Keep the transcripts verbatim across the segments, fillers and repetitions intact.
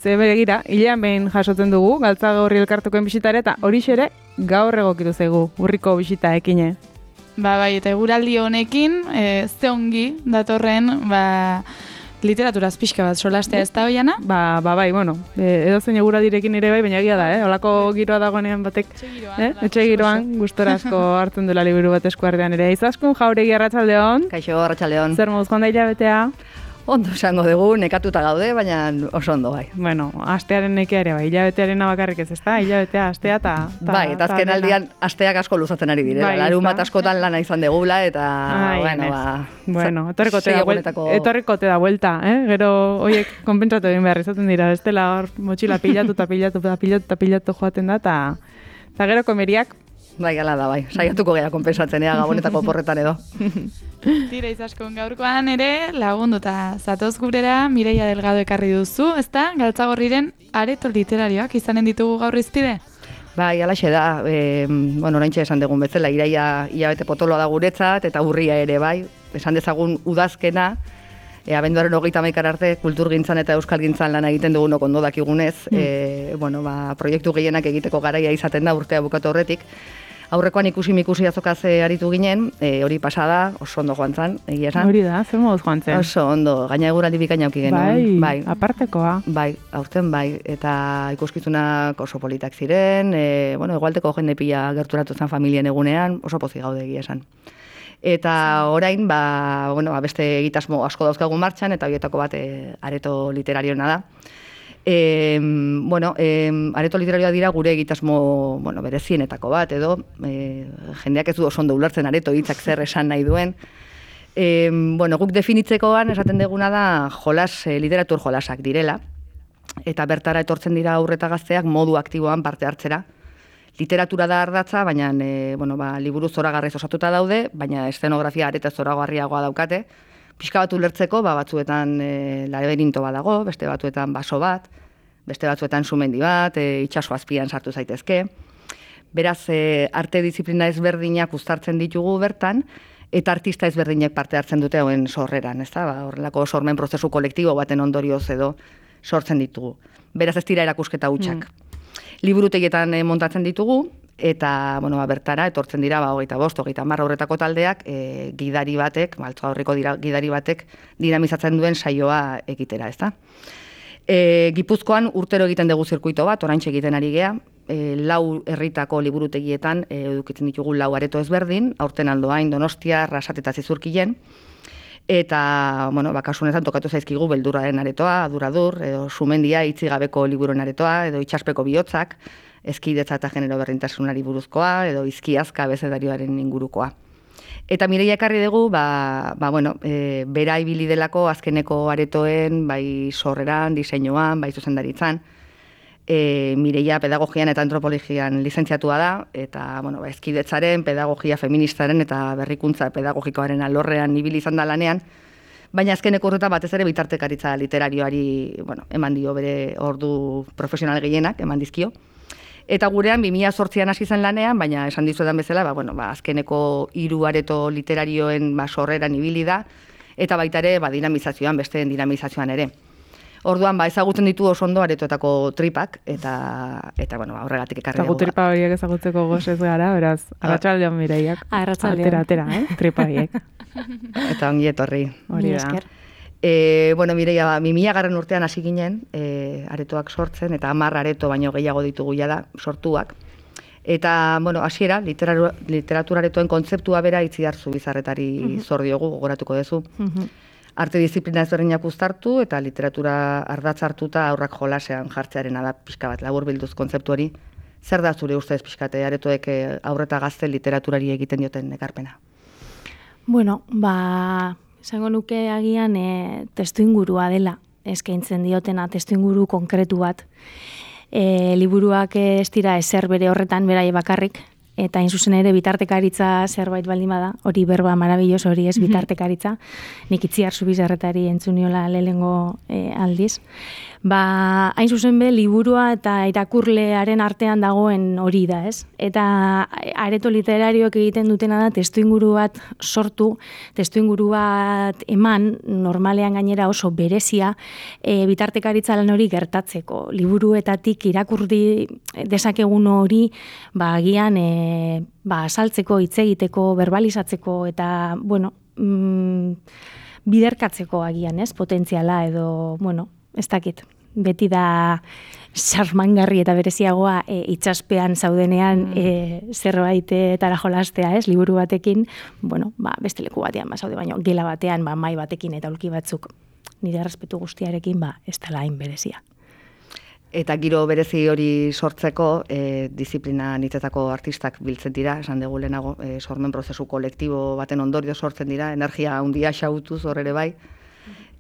Ze begira, hilean behin jasotzen dugu, Galtzagorri elkartukoen bisitare, eta horixe ere gaur egokitu zaigu, urriko bisita ekine. Ba, bai, eta eguraldi honekin, e, ze ongi datorren, ba, literaturaz pixka bat solastea ez da hoiana? Ba, ba, bai, bueno, e, edozein eguraldirekin ere bai, baina egia da, eh? Olako giroa dagoenean batek, Etxe giroan, eh? Etxe giroan, gustora asko hartzen duela liburu bat eskuartean ere. Izaskun Jauregi arratsaldeon. Kaixo, arratsaldeon. Zer moduz joan da hilabetea? Ondo esango dugu, nekatuta gaude, baina oso ondo bai. Bueno, astearen nekea ere bai, hilabetearen bakarrik ez ezta, hilabetea, astea eta... Bai, eta azken aldian asteak asko luzatzen ari direla. Bai, Larun bat askotan lana izan degula, eta, Ai, bueno, ez. ba... Bueno, etorriko te da sei vuelta, egunetako- etorriko te da vuelta, eh? Gero hoiek konpentsatu egin behar izaten dira, bestela hor motxila pilatu eta pilatu eta pilatu eta pilatu joaten da, eta eta gero komeriak, Bai, gala da, bai. Saiatuko gera konpensatzen, ea, gabonetako porretan edo. Tira izaskun gaurkoan ere lagunduta zatoz gurera Mireia Delgado ekarri duzu, ezta? Galtzagorriren areto literarioak izanen ditugu gaur izpide? Bai, alaxe da, e, bueno, oraintxe esan dugun bezala, iraia hilabete potoloa da guretzat, eta urria ere bai, esan dezagun udazkena, e, abenduaren hogeita hamaikara arte kulturgintzan eta euskalgintzan lan egiten dugunok ondo dakigunez, mm. e, bueno, ba, proiektu gehienak egiteko garaia izaten da urtea bukatu horretik. Aurrekoan ikusi mikusi azokaz aritu ginen, e, hori pasada, oso ondo joan zan, egia esan. hori da, zer moduz joan zen? Oso ondo, gaina eguraldi bikaina auki Bai, genuen. Bai, apartekoa. bai, aurten bai, eta ikuskizunak oso politak ziren, e, bueno, egualteko jende pila gerturatu zen familien egunean, oso pozik gaude egia esan. Eta orain, ba, bueno, ba, beste egitasmo asko dauzkagu martxan, eta horietako bat e, areto literariona da. E, bueno, e, areto literarioa dira gure egitasmo, bueno, berezienetako bat, edo e, jendeak ez du oso ondo ulertzen areto hitzak zer esan nahi duen. E, bueno, guk definitzekoan esaten deguna da jolas, e, literatur jolasak direla, eta bertara etortzen dira aurreta gazteak modu aktiboan parte hartzera. Literatura da ardatza, baina e, bueno, ba, liburu zoragarriz osatuta daude, baina eszenografia areta zoragarriagoa daukate. Pixka bat ulertzeko, ba, batzuetan e, laberinto bat dago, beste batzuetan baso bat, beste batzuetan sumendi bat, e, itsaso azpian sartu zaitezke. Beraz, e, arte disiplina ezberdinak uztartzen ditugu bertan, eta artista ezberdinek parte hartzen dute hoen sorreran, ezta? Ba, horrelako sormen prozesu kolektibo baten ondorioz edo sortzen ditugu. Beraz, ez dira erakusketa hutsak. Mm. Liburutegietan e, montatzen ditugu, eta bueno, ba, bertara etortzen dira ba, hogeita bost, hogeita hamar horretako taldeak e, gidari batek, Galtzagorriko dira, gidari batek dinamizatzen duen saioa egitera, ezta? E, Gipuzkoan urtero egiten dugu zirkuito bat, oraintxe egiten ari gea, e, lau herritako liburutegietan e, edukitzen ditugu lau areto ezberdin, aurten Aldoain, Donostia, Arrasat eta Zizurkilen, eta, bueno, ba, kasu honetan tokatu zaizkigu beldurraren aretoa, aduradur, edo sumendia, itzigabeko liburuen aretoa, edo itxaspeko bihotzak, eskidetza eta genero berdintasunari buruzkoa, edo izkiazka bezedarioaren ingurukoa. Eta Mireia ekarri dugu, ba, ba, bueno, e, bera ibili delako azkeneko aretoen, bai sorreran, diseinuan, bai zuzendaritzan. E, Mireia pedagogian eta antropologian lizentziatua da, eta bueno, ba, eskidetzaren, pedagogia feministaren eta berrikuntza pedagogikoaren alorrean ibili izan da lanean, baina azkeneko urtetan batez ere bitartekaritza literarioari, bueno, eman dio bere ordu profesional gehienak, eman dizkio. Eta gurean bi mila zortzian hasi zen lanean, baina esan dizuetan bezala, ba, bueno, ba, azkeneko hiru areto literarioen ba, sorreran ibili da, eta baita ere ba, dinamizazioan, besteen dinamizazioan ere. Orduan, ba, ezagutzen ditu oso ondo aretoetako tripak, eta, eta bueno, ba, horregatik ekarri dugu. Eta tripa horiek ezagutzeko gozez gara, beraz, arratsaldeon Mireiak. Arratsaldeon. Atera, atera, eh? Tripa horiek. Eta ongi etorri. Hori da. E, bueno, Mireia, ba, mimila garren urtean hasi ginen, e, aretoak sortzen, eta hamar areto baino gehiago ditugu da sortuak. Eta, bueno, hasiera, literatura, literatura aretoen kontzeptua bera Itziar Zubizarretari uh -huh. zor diogu, gogoratuko duzu. Uh -huh. Arte disiplina ezberdinak uztartu, eta literatura ardatz hartuta aurrak jolasean jartzearena da pixka bat, labur bilduz kontzeptu hori. Zer da zure ustez pixkate aretoek aurreta gazte literaturari egiten dioten ekarpena? Bueno, ba... Esango nuke agian e, testu ingurua dela, eskaintzen diotena testu inguru konkretu bat. E, liburuak ez dira ezer bere horretan, berai bakarrik, eta hain zuzen ere bitartekaritza zerbait baldin bada, hori berba marabilloso hori ez bitartekaritza, nik Itziar Zubizarretari entzuniola lehengo e, aldiz. Ba, hain zuzen be, liburua eta irakurlearen artean dagoen hori da, ez? Eta areto literarioak egiten dutena da testuinguru bat sortu, testuinguru bat eman, normalean gainera oso berezia, e, bitartekaritza lan hori gertatzeko. Liburuetatik irakurdi dezakegun hori, ba, agian, e, ba, saltzeko, hitz egiteko, verbalizatzeko, eta, bueno, mm, biderkatzeko agian, ez? Potentziala edo, bueno, ez dakit. Beti da sarmangarri eta bereziagoa e, itxaspean zaudenean mm. e, zerbait etara jolastea, ez, liburu batekin, bueno, ba, beste leku batean ba, zaude, baino, gela batean, ba, mai batekin eta ulki batzuk nire errespetu guztiarekin, ba, ez dela hain berezia. Eta giro berezi hori sortzeko, e, disiplina nitetako artistak biltzen dira, esan dugu lehenago, e, sormen prozesu kolektibo baten ondorio sortzen dira, energia handia xautuz hor ere bai.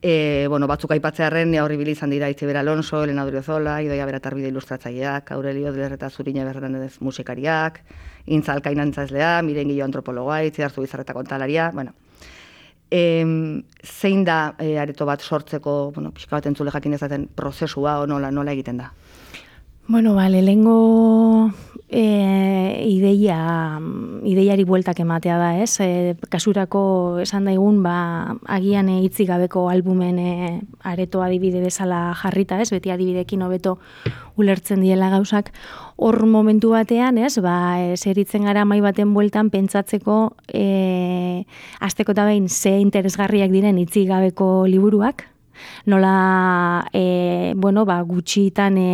E, bueno, batzuk aipatzearren horri izan dira Itziber Alonso, Elena Odriozola, Idoia Beratarbide ilustratzaileak, Aurelio Dlerreta Zurina Berdanez musikariak, Intza Alkainantzazlea, Miren Gillo antropologa, Itziarzu Bizarreta kontalaria, bueno. E, zein da e, areto bat sortzeko, bueno, pixka bat entzule jakin ezaten prozesua o nola, nola egiten da? Bueno, ba, lehengo e, ideia, ideiari bueltak ematea da, ez? E, kasurako esan daigun, ba, agian e, hitzik gabeko albumen e, areto adibide bezala jarrita, ez? Beti adibidekin hobeto ulertzen diela gauzak. Hor momentu batean, ez? Ba, e, zeritzen gara mai baten bueltan pentsatzeko e, asteko eta behin ze interesgarriak diren hitzik gabeko liburuak, nola, e, bueno, ba, gutxitan e,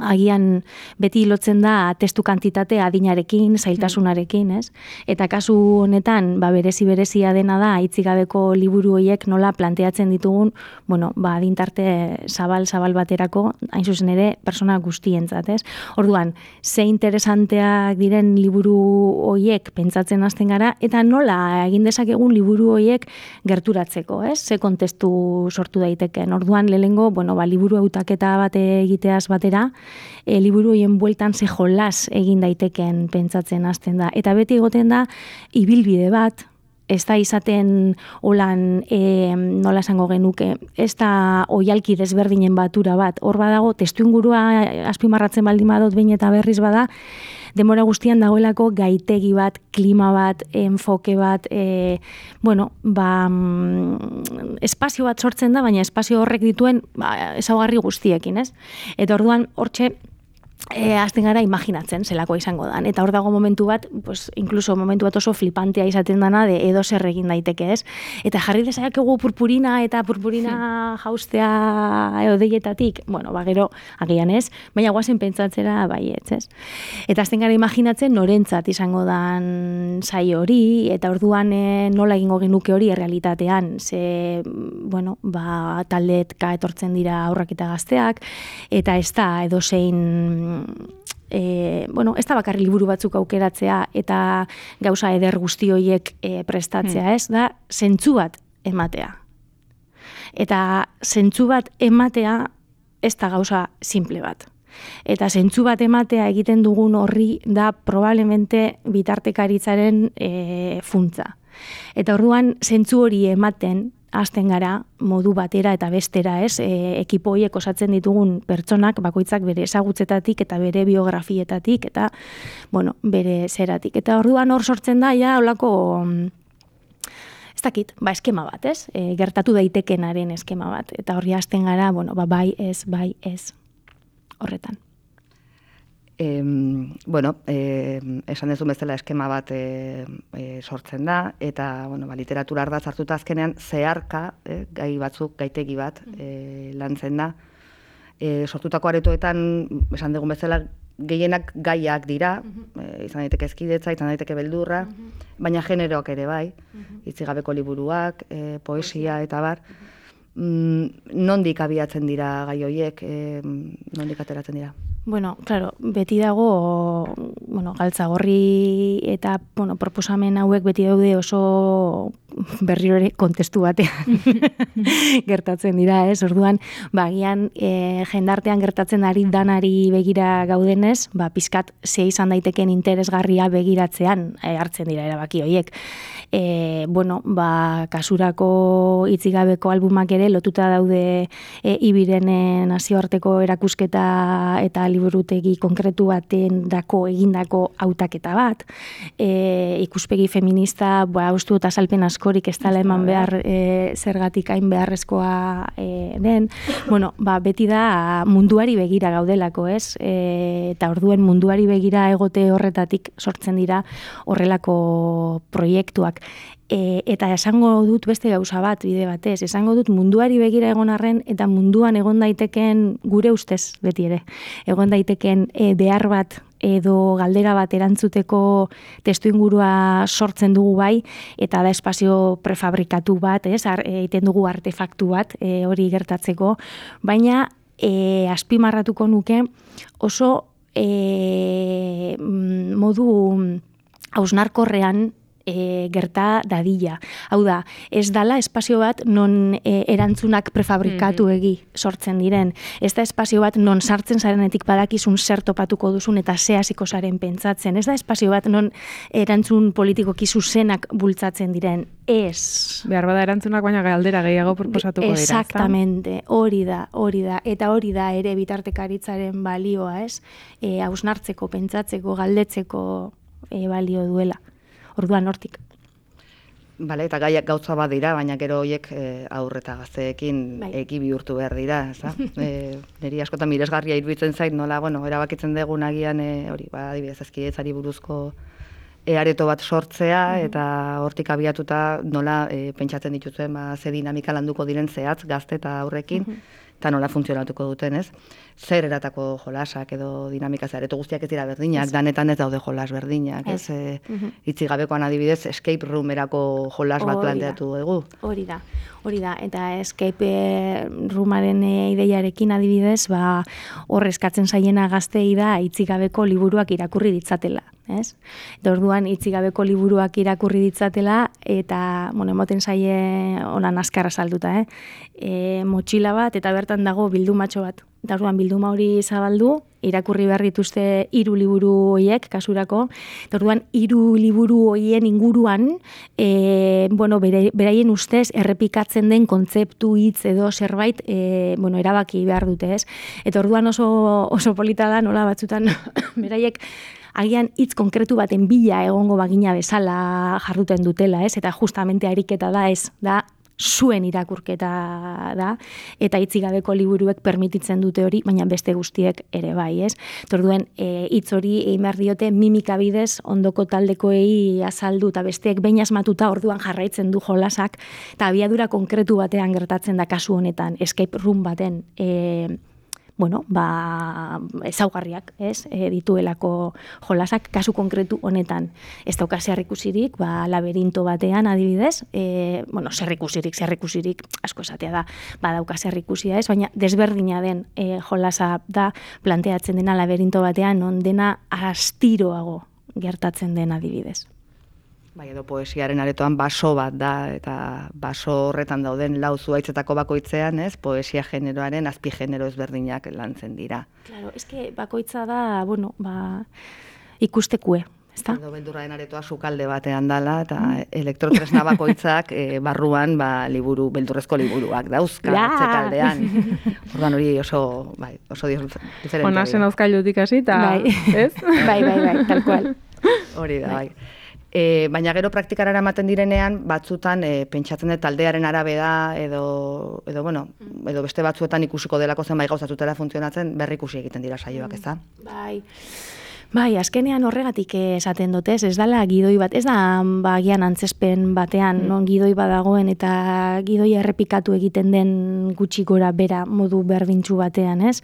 agian beti lotzen da testu kantitatea adinarekin, zailtasunarekin, ez? Eta kasu honetan, ba, berezi-berezia dena da, hitzigabeko liburu horiek nola planteatzen ditugun, bueno, ba, adintarte zabal-zabal baterako, hain zuzen ere, persona guztientzat, ez? Orduan, ze interesanteak diren liburu horiek pentsatzen hasten gara, eta nola egin dezakegun liburu horiek gerturatzeko, ez? Ze kontestu sortu daiteken. Orduan, lehengo, bueno, ba, liburu hautaketa bate egiteaz batera, E, liburu horien bueltan ze jolas egin daiteken pentsatzen hasten da. Eta beti egoten da, ibilbide bat, ez da izaten holan, e, nola esango genuke, ez da oialki desberdinen batura bat. Hor badago, testuingurua azpimarratzen baldin badut behin eta berriz bada, denbora guztian dagoelako gaitegi bat, klima bat, enfoke bat, e, bueno, ba, mm, espazio bat sortzen da, baina espazio horrek dituen ba, ezaugarri guztiekin, ez? Eta orduan, hortxe, E, azten gara imaginatzen zelako izango dan. Eta hor dago momentu bat, pues, incluso momentu bat oso flipantea izaten dana de edo zer egin daiteke, ez? Eta jarri dezakegu purpurina eta purpurina jaustea edo deietatik, bueno, ba gero agian ez, baina guazen pentsatzera baietz, ez? Eta azten gara imaginatzen norentzat izango dan saio hori, eta orduan e, nola egingo genuke hori errealitatean, ze, bueno, ba, taldetka etortzen dira aurrak eta gazteak, eta ez da edo zein E, bueno, ez da bakarri liburu batzuk aukeratzea eta gauza eder guzti horiek e, prestatzea, ez da, zentzu bat ematea. Eta zentzu bat ematea ez da gauza simple bat. Eta zentzu bat ematea egiten dugun horri da probablemente bitartekaritzaren e, funtza. Eta orduan zentzu hori ematen hasten gara modu batera eta bestera, ez? E, ekipo horiek osatzen ditugun pertsonak bakoitzak bere ezagutzetatik eta bere biografietatik eta bueno, bere zeratik. Eta orduan hor sortzen da ja holako ez dakit, ba eskema bat, ez? E, gertatu daitekenaren eskema bat. Eta horri hasten gara, bueno, ba bai, ez, bai, ez. Horretan. E, bueno, e, esan dezu bezala eskema bat e, e, sortzen da, eta bueno, ba, literatura ardatz hartuta azkenean zeharka, e, gai batzuk, gaitegi bat e, lantzen da. E, sortutako aretoetan, esan dugun bezala, gehienak gaiak dira, e, izan daiteke ezkidetza, izan daiteke beldurra, baina generoak ere bai, hitzigabeko liburuak, e, poesia eta bar. Mm, nondik abiatzen dira gai horiek, e, nondik ateratzen dira? Bueno, claro, beti dago, bueno, galtzagorri eta, bueno, proposamen hauek beti daude oso berriro ere kontestu batean gertatzen dira, ez? Orduan, ba, gian e, jendartean gertatzen ari danari begira gaudenez, ba, pizkat ze izan daiteken interesgarria begiratzean e, hartzen dira erabaki horiek. E, bueno, ba, kasurako itzigabeko albumak ere lotuta daude e, ibirenen nazioarteko erakusketa eta liburutegi konkretu baten dako egindako hautaketa bat. E, ikuspegi feminista, ba, ustu eta salpen askorik ez dela eman behar e, zergatik hain beharrezkoa e, den. Bueno, ba, beti da munduari begira gaudelako, ez? E, eta orduen munduari begira egote horretatik sortzen dira horrelako proiektuak. E, eta esango dut beste gauza bat, bide batez, esango dut munduari begira egon arren eta munduan egon daiteken gure ustez beti ere, egon daiteken e, behar bat edo galdera bat erantzuteko testuingurua sortzen dugu bai, eta da espazio prefabrikatu bat, ez, egiten dugu artefaktu bat e, hori gertatzeko, baina e, azpimarratuko nuke oso e, modu hausnarkorrean E, gerta dadila. Hau da, ez dala espazio bat non e, erantzunak prefabrikatu egi sortzen diren. Ez da espazio bat non sartzen zarenetik badakizun zer topatuko duzun eta ze hasiko zaren pentsatzen. Ez da espazio bat non erantzun politikoki zuzenak bultzatzen diren. Ez. Behar bada erantzunak baina galdera gehiago proposatuko dira. Exactamente, hori da, hori da. Eta hori da ere bitartekaritzaren balioa, ez? E, hausnartzeko, pentsatzeko, galdetzeko e, balio duela. Orduan hortik. Bale, eta gaiak gauza bat dira, baina gero horiek e, aurre eta gazteekin bai. eki bihurtu behar dira, ezta? E, niri askotan miresgarria iruditzen zait, nola, bueno, erabakitzen dugun agian e, hori, ba, adibidez, ezkidetzari buruzko e, areto bat sortzea, mm-hmm. eta hortik abiatuta nola e, pentsatzen dituzuen, ba, ze dinamika landuko diren zehatz gazte eta aurrekin, mm-hmm. eta nola funtzionatuko duten, ez? Zer eratako jolasak edo dinamika zareto guztiak ez dira berdinak, danetan ez daude jolas berdinak, ez? ez? E, mm-hmm. Itzigabekoan adibidez, escape roomerako jolas bat planteatu dugu. Hori da, hori da, eta escape roomaren ideiarekin adibidez, ba, hor eskatzen zaiena gaztei da itzigabeko liburuak irakurri ditzatela, ez? Eta orduan itzigabeko liburuak irakurri ditzatela, eta, bueno, emoten zaie onan azkarra salduta, eh? E, motxila bat, eta bertan dago bildumatxo bat. Eta orduan bilduma hori zabaldu, irakurri behar dituzte hiru liburu horiek kasurako. Eta orduan hiru liburu horien inguruan, e, bueno, bere, beraien ustez errepikatzen den kontzeptu hitz edo zerbait, e, bueno, erabaki behar dute, ez? Eta orduan oso oso polita da, nola batzutan beraiek agian hitz konkretu baten bila egongo bagina bezala jarduten dutela, ez? Eta justamente ariketa da, ez? Da zuen irakurketa da, eta itzigabeko liburuek permititzen dute hori, baina beste guztiek ere bai, ez? Torduen, e, hitz hori egin behar diote mimika bidez ondoko taldekoei azaldu, eta besteek behin asmatuta orduan jarraitzen du jolasak, eta abiadura konkretu batean gertatzen da kasu honetan, escape room baten, e, bueno, ba, ezaugarriak, ez, e, dituelako jolasak, kasu konkretu honetan. Ez dauka zerrikusirik, ba, laberinto batean adibidez, e, bueno, zerrikusirik, zerrikusirik, asko esatea da, ba, dauka zerrikusia ez, baina desberdina den e, jolasa da planteatzen dena laberinto batean, non dena astiroago gertatzen den adibidez. Bai, edo poesiaren aretoan baso bat da, eta baso horretan dauden lau zuhaitzetako bakoitzean, ez, poesia generoaren azpi genero ezberdinak lantzen dira. Claro, eske bakoitza da, bueno, ba, ikustekue, ezta? Edo beldurraren aretoa sukalde batean dala, eta mm. elektrotresna bakoitzak e, barruan ba, liburu, beldurrezko liburuak dauzka, ja. Atzekaldean. Ordan hori oso, bai, oso diferente. Onasen auzkailutik hasi, eta, bai. ez? Bai, bai, bai, tal cual. Hori da, bai. E, baina gero praktikara eramaten direnean, batzutan e, pentsatzen dut taldearen arabera edo, edo, bueno, edo beste batzuetan ikusiko delako zenbait gauzatutela funtzionatzen, berrikusi egiten dira saioak, ez da? Bai, bai, azkenean horregatik esaten dut, ez, ez dala gidoi bat, ez da bagian antzespen batean, mm. non gidoi badagoen eta gidoi errepikatu egiten den gutxi gora bera modu berdintsu batean, ez?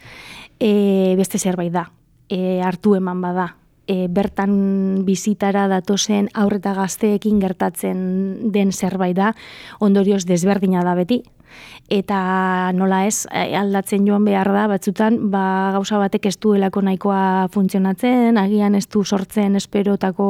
E, beste zerbait da, e, hartu eman bada. e, bertan bizitara datozen aurreta gazteekin gertatzen den zerbait da, ondorioz desberdina da beti. Eta nola ez, aldatzen joan behar da, batzutan ba, gauza batek ez duelako nahikoa funtzionatzen, agian ez du sortzen esperotako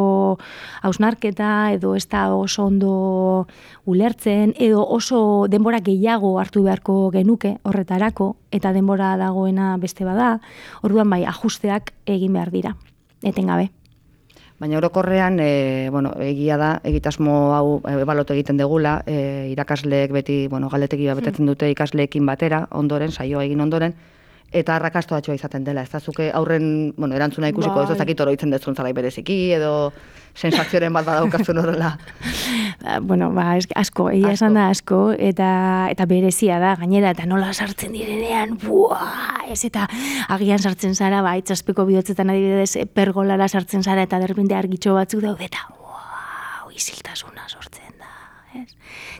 hausnarketa, edo ez da oso ondo ulertzen, edo oso denbora gehiago hartu beharko genuke horretarako, eta denbora dagoena beste bada, orduan bai, ajusteak egin behar dira, etengabe. Baina orokorrean, e, bueno, egia da, egitasmo hau ebalotu egiten degula, e, irakasleek beti, bueno, galdetegi bat betetzen dute ikasleekin batera, ondoren, saioa egin ondoren, eta arrakastatxoa izaten dela. Ez da zuke aurren, bueno, erantzuna ikusiko, bai. Ez dakit oroitzen dezun zalai bereziki, edo sensazioaren bat badaukazun horrela. Bueno, ba, asko, egia esan da asko, eta eta berezia da, gainera, eta nola sartzen direnean, buah, ez, eta agian sartzen zara, ba, itxaspeko bihotzetan adibidez, pergolara sartzen zara, eta derrepente argitxo batzuk daude, eta, buah, iziltasuna sortzen da, ez?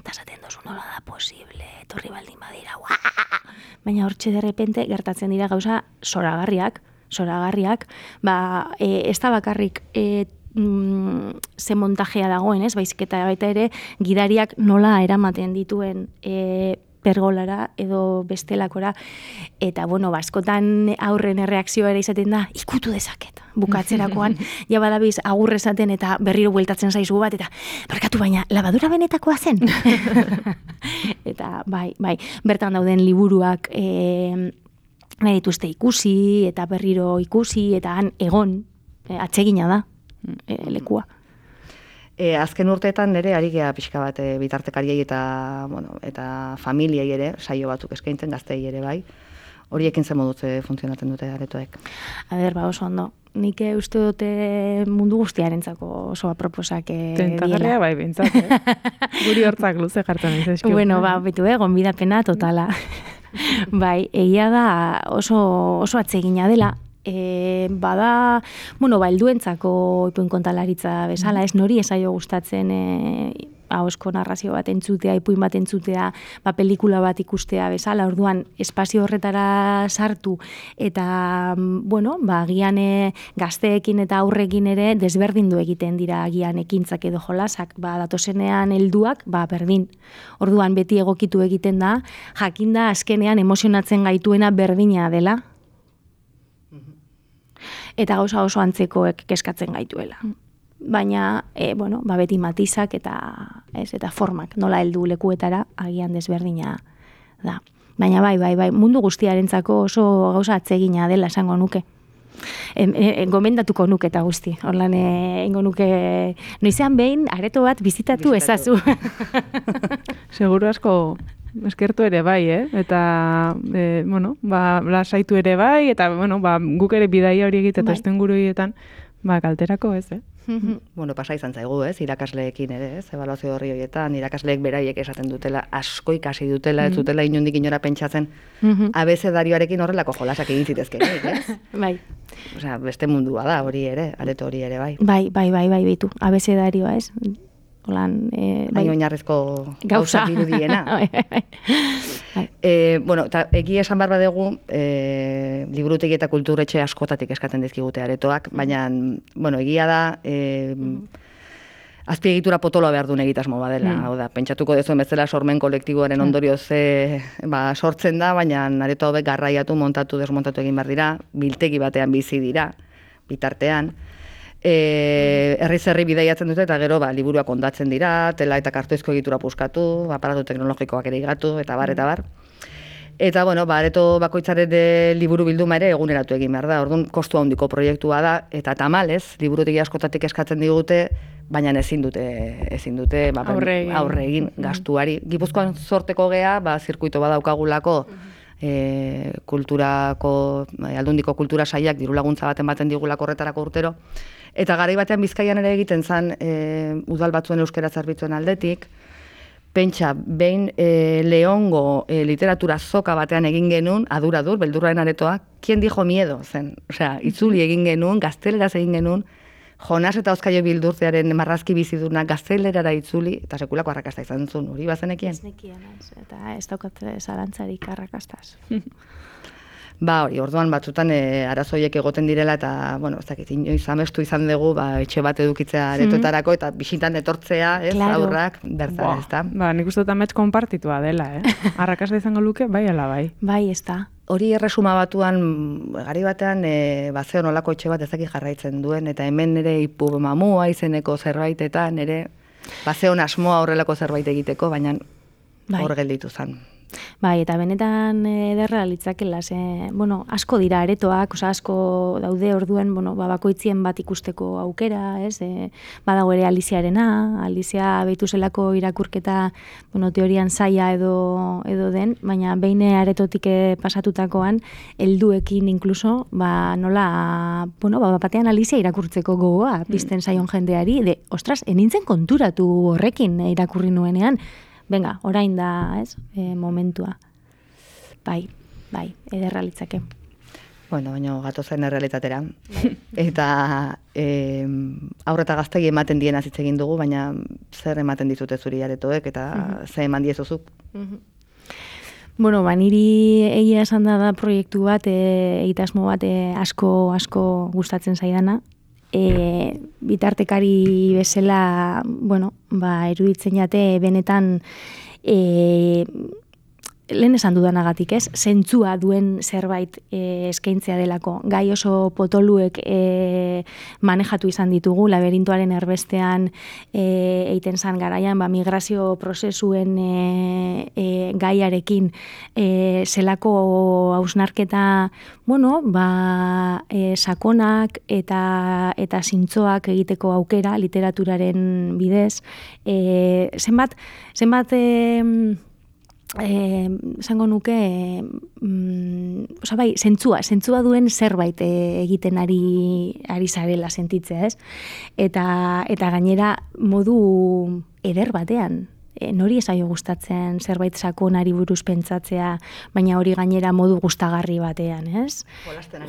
Eta zaten dozu nola da posible, etorri baldin badira, buah! Baina hortxe derrepente gertatzen dira gauza zoragarriak, zoragarriak, ba, e, ez da bakarrik, e, Mm, ze montajea dagoen, ez? Baizik eta baita ere gidariak nola eramaten dituen e, pergolara edo bestelakora, eta bueno, baskotan aurren erreakzioa ere izaten da, ikutu dezaket, bukatzerakoan, ja badabiz agurre esaten eta berriro bueltatzen zaizu bat, eta barkatu baina, labadura benetakoa zen? Eta bai, bai, bertan dauden liburuak e, nahi dituzte ikusi, eta berriro ikusi, eta han egon, e, atsegina da. E, lekua. E, azken urteetan nire ari gea pixka bat e, bitartekariei eta, bueno, eta familiei ere, saio batzuk eskaintzen gaztei ere bai. Horiekin zen modutze funtzionatzen dute aretoek. A ber, ba, oso ondo. Nik uste dute mundu guztiarentzako oso aproposak diela. Tentagarria bai, bintzat, eh? Guri hortzak luze jartan izazkiu. Bueno, ba, betu, eh, gonbidapena totala. Bai, egia da oso, oso atsegina dela. E, bada, bueno, ba, helduentzako ipuin kontalaritza bezala, ez nori esaio gustatzen e, ahosko narrazio bat entzutea, ipuin bat entzutea, ba, pelikula bat ikustea bezala, orduan espazio horretara sartu, eta, bueno, ba, agian e, gazteekin eta aurrekin ere desberdindu egiten dira agian ekintzak edo jolasak, ba, datozenean helduak, ba, berdin. Orduan beti egokitu egiten da, jakinda azkenean emozionatzen gaituena berdina dela, eta gauza oso antzekoek keskatzen gaituela. Baina, e, bueno, ba beti matizak eta, ez, eta formak, nola heldu lekuetara, agian desberdina da. Baina bai, bai, bai, mundu guztiarentzako oso gauza atsegina dela esango nuke. E, e, gomendatuko nuke eta guzti. Horlan, ingo nuke, noizean behin, areto bat bizitatu, bizitatu. Ezazu. Seguru asko eskertu ere bai, eh? Eta, e, bueno, ba, lasaitu ere bai, eta, bueno, ba, guk ere bidaia hori egite eta estenguruietan, ba, kalterako ez, eh? Bueno, pasa izan zaigu, ez, irakasleekin ere, ez, ebaluazio horri horietan, irakasleek beraiek esaten dutela, asko ikasi dutela, ez dutela inondik inora pentsatzen, abezedarioarekin horrelako jolasak egin zitezken, ez? Bai. Osea, beste mundua da hori ere, areto hori ere, bai. Bai, bai, bai, bai, bitu, abezedarioa, ez? Olan, e, bai, oinarrezko gauza dirudiena. e, bueno, eta egia esan behar badegu, e, liburutegi eta kulturetxe askotatik eskatzen dizkigute aretoak, baina, bueno, egia da, e, azpiegitura potoloa behar duen egitasmo badela. Mm. Hau da, pentsatuko dezuen bezala sormen kolektiboaren ondorioz e, ba, sortzen da, baina areto hauek garraiatu, montatu, desmontatu egin behar dira, biltegi batean bizi dira, bitartean. E, herriz herri bidaiatzen dute eta gero ba, liburuak ondatzen dira, tela eta kartoizko egitura puskatu, aparatu teknologikoak ere igatu, eta bar, eta bar. Eta, bueno, ba, areto bakoitzaren liburu bilduma ere eguneratu egin behar da, orduan kostu handiko proiektua da, eta tamalez, liburutegi askotatik eskatzen digute, baina ezin dute, ezin dute ba, aurre egin, aurre egin gastuari. Gipuzkoan sorteko gea, ba, zirkuito badaukagulako, e, kulturako, aldundiko kultura saiak diru laguntza baten baten digulako horretarako urtero, eta garai batean Bizkaian ere egiten zen e, udal batzuen euskara zerbitzuen aldetik, pentsa, behin e, Leongo e, literatura zoka batean egin genuen, aduradur, beldurraren aretoa, kien dijo miedo zen, osea, itzuli egin genuen, gazteleraz egin genuen, Jonas eta Oskaio Bildurtzearen marrazki biziduna gaztelerara itzuli, eta sekulako arrakasta izan zuen, hori bazenekien? Ez nekien, eta ez daukat zalantzarik arrakastaz. Ba, hori, orduan batzutan e, arazoiek egoten direla eta, bueno, ez dakit, inoiz amestu izan dugu, ba, etxe bat edukitzea aretoetarako eta bisitan etortzea, ez, Claro. aurrak, bertan, ez da. Ba, nik uste dut amets konpartitua dela, eh? Arrakasta izango luke, bai ala bai. Bai, ez da. Hori erresuma batuan, gari batean, e, ba, ze nolako etxe bat ezaki jarraitzen duen, eta hemen ere ipu mamua izeneko zerbaitetan, ere, ba, ze asmoa horrelako zerbait egiteko, baina Bai. hor gelditu zen. Bai, eta benetan ederra litzakela, ze, bueno, asko dira aretoak, oza, asko daude orduen, bueno, ba, bakoitzien bat ikusteko aukera, ez, e, badago ere Aliziarena, Alizia behitu zelako irakurketa, bueno, teorian zaila edo, edo den, baina behin aretotik pasatutakoan, helduekin inkluso, ba, nola, bueno, ba, batean Alizia irakurtzeko gogoa, pizten zaion jendeari, de, ostras, enintzen konturatu horrekin irakurri nuenean, venga, orain da, ez, e, momentua. Bai, bai, ederra litzake. Bueno, baina gatozen errealitatera. Eta e, aurreta gaztegi ematen diena hitz egin dugu, baina zer ematen dizute zuri aretoek eta zer eman diezuzuk? Bueno, ba, niri egia esan da da proiektu bat, e, egitasmo bat e, asko, asko gustatzen zaidana. E, bitartekari bezala, bueno, ba, eruditzen jate benetan e, lehen esan dudanagatik, ez? Zentzua duen zerbait e, eskaintzea delako. Gai oso potoluek e, manejatu izan ditugu, laberintoaren erbestean e, eiten zan garaian, ba, migrazio prozesuen e, e, gaiarekin e, zelako hausnarketa, bueno, ba, e, sakonak eta, eta zintzoak egiteko aukera literaturaren bidez. E, zenbat, zenbat... E, Eh, esango nuke eh, mm, oza, bai, zentzua, zentzua duen zerbait eh, egiten ari ari zarela sentitzea, ez? Eta eta gainera modu eder batean. E, nori esaio gustatzen zerbait sakonari buruz pentsatzea, baina hori gainera modu gustagarri batean, ez?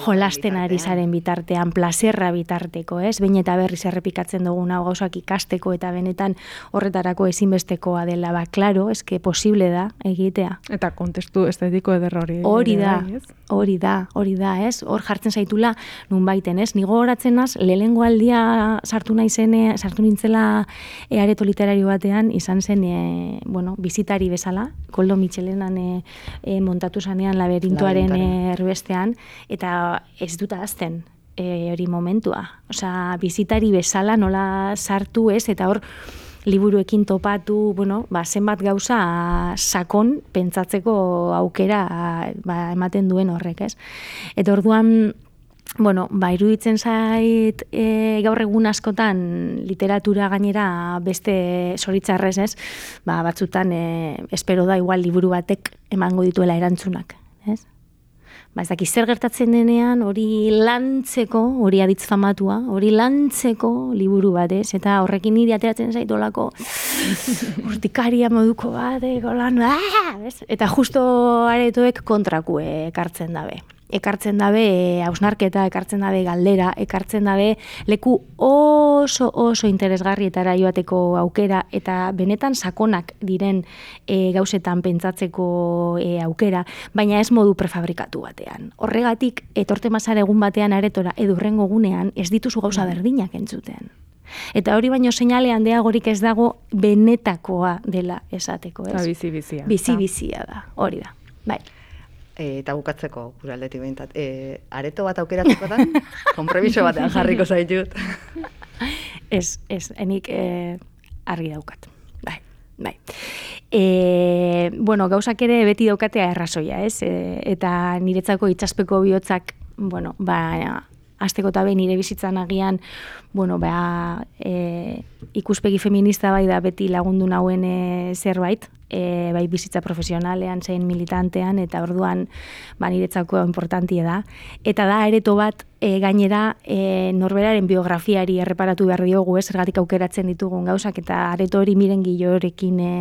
Jolasten ari zaren bitartean, plazerra bitarteko, ez? Behin eta berriz errepikatzen dugun hau gauzak ikasteko eta benetan horretarako ezinbestekoa dela, ba, klaro, eske posible da egitea. Eta kontestu estetiko eder hori. Hori da, bai, ez? hori da, hori da, ez? Hor jartzen zaitula nun baiten, ez? Nigo horatzen naz, lehengo aldia sartu naizene, sartu nintzela e, areto literario batean, izan zen, e, bueno, bizitari bezala, Koldo Mitxelenan e, e, montatu zanean laberintoaren e, erbestean, eta ez dut ahazten e, hori momentua. Osea, bizitari bezala nola sartu, ez? Eta hor, liburuekin topatu, bueno, ba, zenbat gauza sakon pentsatzeko aukera ba, ematen duen horrek, ez? Eta orduan, bueno, ba, iruditzen zait e, gaur egun askotan literatura gainera beste zoritzarrez, ez? Ba, batzutan e, espero da igual liburu batek emango dituela erantzunak, ez? Ba, ez dakiz zer gertatzen denean, hori lantzeko, hori aditz famatua, hori lantzeko liburu bat, ez? Eta horrekin niri ateratzen zaitolako urtikaria moduko bat, lan, ah! Eta justo aretoek kontraku ekartzen dabe. Ekartzen dabe hausnarketa, ekartzen dabe galdera, ekartzen dabe leku oso oso interesgarrietara joateko aukera eta benetan sakonak diren e, gauzetan pentsatzeko e, aukera, baina ez modu prefabrikatu batean. Horregatik, etorte mazar egun batean aretora edo hurrengo gunean ez dituzu gauza berdinak entzuten. Eta hori baino seinale handiagorik ez dago benetakoa dela esateko, ez? Bizi-bizia. Bizi-bizia da, hori da, bai. E, eta bukatzeko, gure aldetik behintzat. E, areto bat aukeratzeko da, konpromiso batean jarriko zaitut. Ez, ez, enik e, argi daukat. Bai, bai. E, bueno, gauzak ere beti daukatea errazoia, ez? E, eta niretzako itxaspeko bihotzak, bueno, ba, azteko eta behin nire bizitzan agian, bueno, ba, e, ikuspegi feminista bai da beti lagundu nauen e, zerbait, e, bai bizitza profesionalean, zein militantean, eta orduan ba, niretzako importantie da. Eta da, areto bat, e, gainera, e, norberaren biografiari erreparatu behar diogu, ez, zergatik aukeratzen ditugun gauzak, eta areto hori miren Gillorekin e,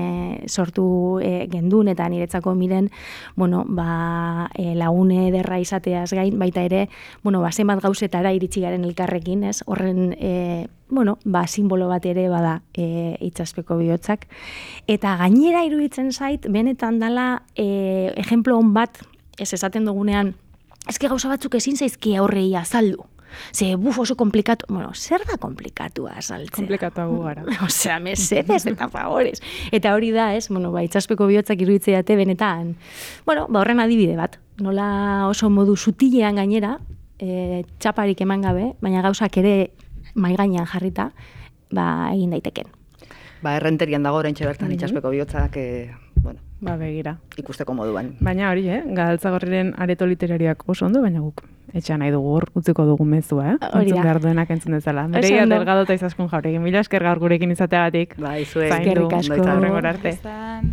sortu e, gendun, eta niretzako miren, bueno, ba, e, lagune ederra izateaz gain, baita ere, bueno, ba, zenbat gauzetara iritsi garen elkarrekin, ez, horren, e, bueno, ba, simbolo bat ere bada e, itxaspeko bihotzak. Eta gainera iruditzen zait, benetan dala, e, ejemplo on bat, ez esaten dugunean, eske gauza batzuk ezin zaizki aurrei azaldu. Ze, buf, oso komplikatu, bueno, zer da komplikatua azaltzea? Komplikatuago gara. Osea, mesedez eta favores. Eta hori da, ez, bueno, ba, itxaspeko bihotzak iruditzeiate benetan, bueno, ba, horren adibide bat. Nola oso modu sutilean gainera, e, txaparik eman gabe, baina gauzak ere mai gainean jarrita, ba, egin daiteken. Ba, errenterian dago oraintxe bertan itxaspeko bihotzak, e, bueno, Ba, begira. ikusteko moduan. Baina hori, eh? Galtzagorriren areto literariak oso ondo, baina guk etxean nahi dugu hor, utziko dugu mezua, eh? Hori da. Entzun behar duenak entzun dezala. Mireia Delgado eta Izaskun Jauregui. Mila esker gaur gurekin izateagatik. Bai, zuek. Zaindu. Eskerrik asko. Ondo izan. Hurrengora arte. Izan.